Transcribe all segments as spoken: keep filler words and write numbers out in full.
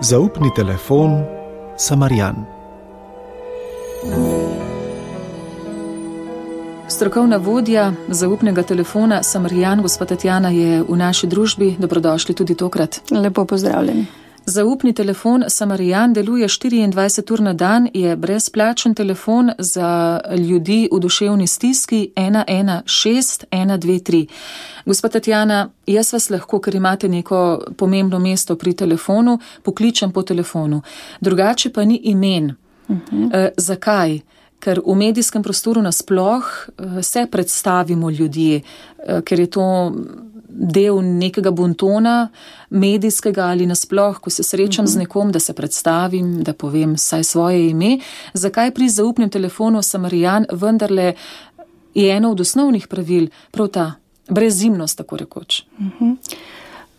Zaupni telefon Samarjan. Strokovna vodja zaupnega telefona Samarjan, gospa Tatjana, je v naši družbi. Dobrodošli tudi tokrat. Lepo pozdravljeni. Zaupni telefon Samarjan deluje štiriindvajset ur na dan, je brezplačen telefon za ljudi v duševni stiski ena ena šest ena dve tri. Gospa Tatjana, jaz vas lahko, ker imate neko pomembno mesto pri telefonu, pokličem po telefonu. Drugače pa ni imen. Uh-huh. E, zakaj? Ker v medijskem prostoru nasploh se predstavimo ljudje, ker je to del nekega bontona, medijskega ali nasploh, ko se srečam uh-huh. z nekom, da se predstavim, da povem vsaj svoje ime. Zakaj pri zaupnem telefonu Samarjan vendarle je eno od osnovnih pravil prav ta brezimnost, tako rekoč? Uh-huh.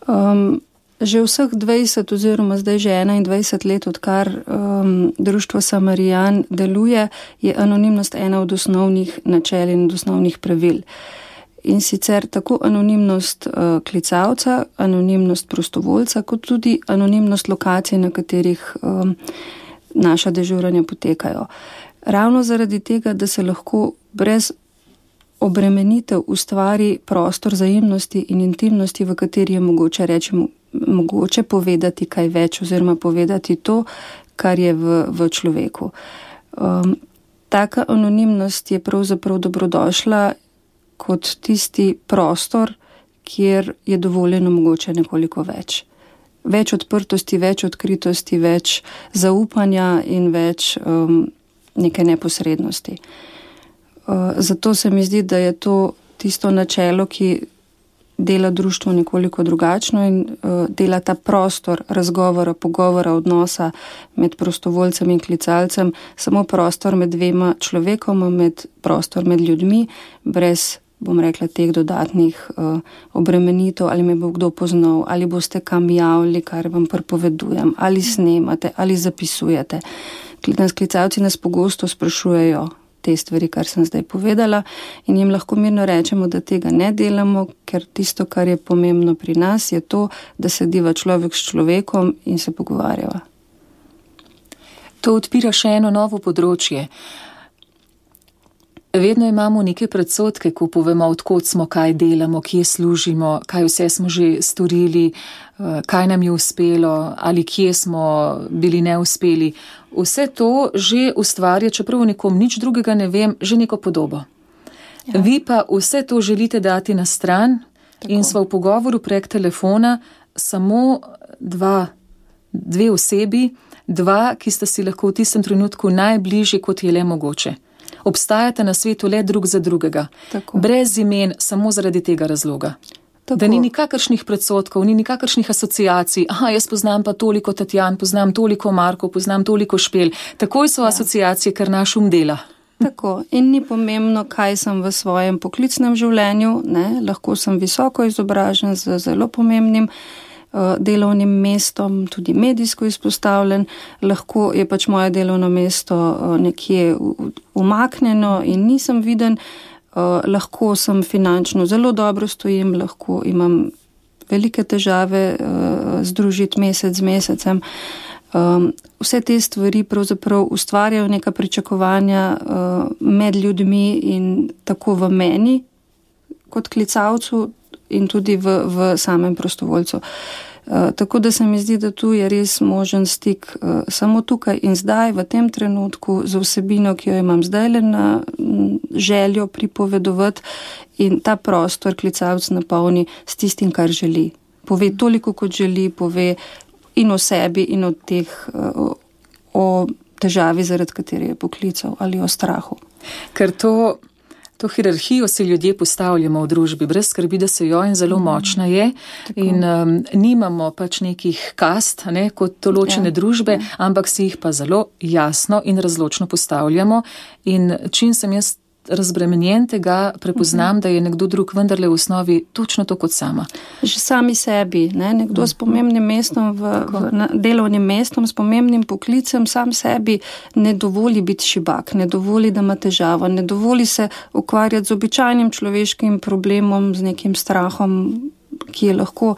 Um... Že vseh dvajset oziroma zdaj že enaindvajset let, odkar um, društvo Samarjan deluje, je anonimnost ena od osnovnih načel in od osnovnih pravil. In sicer tako anonimnost uh, klicalca, anonimnost prostovoljca, kot tudi anonimnost lokacij, na katerih um, naša dežuranja potekajo. Ravno zaradi tega, da se lahko brez obremenitev ustvari prostor vzajemnosti in intimnosti, v kateri je mogoče reči, mogoče povedati kaj več oziroma povedati to, kar je v, v človeku. Um, taka anonimnost je pravzaprav dobrodošla kot tisti prostor, kjer je dovoljeno mogoče nekoliko več. Več odprtosti, več odkritosti, več zaupanja in več um, neke neposrednosti. Uh, zato se mi zdi, da je to tisto načelo, ki dela društvo nekoliko drugačno in uh, dela ta prostor razgovora, pogovora, odnosa med prostovoljcem in klicalcem, samo prostor med dvema človekoma, med prostor med ljudmi, brez, bom rekla, teh dodatnih uh, obremenitev, ali me bo kdo poznal, ali boste kam javili, kar vam prepovedujem, ali snemate, ali zapisujete. Nas klicalci nas pogosto sprašujejo te stvari, kar sem zdaj povedala, in jim lahko mirno rečemo, da tega ne delamo, ker tisto, kar je pomembno pri nas, je to, da sediva človek s človekom in se pogovarjava. To odpira še eno novo področje. Vedno imamo neke predsodke, ko povemo, odkot smo, kaj delamo, kje služimo, kaj vse smo že storili, kaj nam je uspelo ali kje smo bili neuspeli. Vse to že ustvarja, čeprav nekom nič drugega ne vem, že neko podobo. Ja. Vi pa vse to želite dati na stran. Tako. In sva v pogovoru prek telefona samo dva, dve osebi, dva, ki sta si lahko v tistem trenutku najbližje, kot je le mogoče. Obstajate na svetu le drug za drugega. Tako. Brez imen, samo zaradi tega razloga. Tako. Da ni nikakršnih predsotkov, ni nikakršnih asociacij. Aha, jaz poznam pa toliko Tatjan, poznam toliko Marko, poznam toliko Špel. Takoj so ja. asociacije, ker naš um dela. Tako. In ni pomembno, kaj sem v svojem poklicnem življenju. Ne? Lahko sem visoko izobražen z zelo pomembnim uh, delovnim mestom, tudi medijsko izpostavljen. Lahko je pač moje delovno mesto uh, nekje umaknjeno in nisem viden. Uh, lahko sem finančno zelo dobro stojim, lahko imam velike težave uh, združiti mesec z mesecem. Um, vse te stvari pravzaprav ustvarjajo neka pričakovanja uh, med ljudmi in tako v meni kot klicalcu in tudi v, v samem prostovoljcu. Uh, tako da se mi zdi, da tu je res možen stik uh, samo tukaj in zdaj, v tem trenutku, z vsebino, ki jo imam zdaj le na m, željo pripovedovati, in ta prostor klicalc napolni s tistim, kar želi. Pove toliko, kot želi, pove in o sebi in o teh, uh, o težavi, zaradi katere je poklical, ali o strahu. Ker to To hierarhijo si ljudje postavljamo v družbi, brez skrbi, da se jo in zelo močna je. Tako. In um, nimamo pač nekih kast, ne, kot določene ja, družbe, ja. ampak si jih pa zelo jasno in razločno postavljamo. In čim sem jaz razbremenjen tega, prepoznam, uh-huh. da je nekdo drug vendarle v osnovi točno to kot sama. Že sami sebi, ne? Nekdo uh-huh. s pomembnim mestom, v, v, na, delovnim mestom, s pomembnim poklicem, sam sebi ne dovoli biti šibak, ne dovoli, da ima težavo, ne dovoli se ukvarjati z običajnim človeškim problemom, z nekim strahom, ki je lahko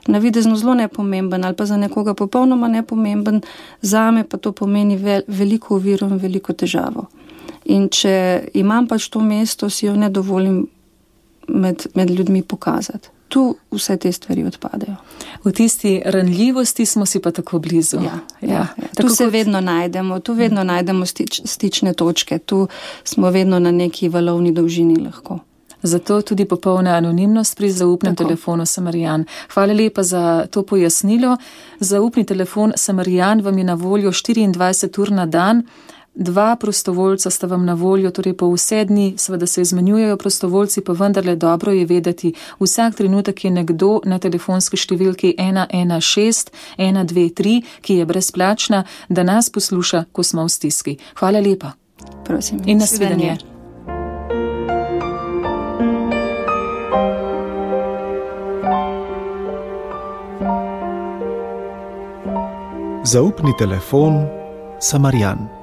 navidezno zelo nepomemben ali pa za nekoga popolnoma nepomemben, zame pa to pomeni vel, veliko oviro in veliko težavo. In če imam pač to mesto, si jo ne dovolim med, med ljudmi pokazati. Tu vse te stvari odpadejo. V tisti ranljivosti smo si pa tako blizu. Ja, ja, ja. Tu se kot... vedno najdemo, tu vedno najdemo stič, stične točke, tu smo vedno na neki valovni dolžini lahko. Zato tudi popolna anonimnost pri zaupnem tako. Telefonu Samarijan. Hvala lepa za to pojasnilo. Zaupni telefon Samarijan vam je na voljo štiriindvajset ur na dan. Dva prostovoljca sta vam na voljo, torej po vse dni, seveda se izmenjujejo prostovoljci, pa vendarle dobro je vedeti, vsak trenutek je nekdo na telefonski številki ena ena šest ena dve tri, ki je brezplačna, da nas posluša, ko smo v stiski. Hvala lepa. Prosim. In nasvidenje. Zaupni telefon Samarijan.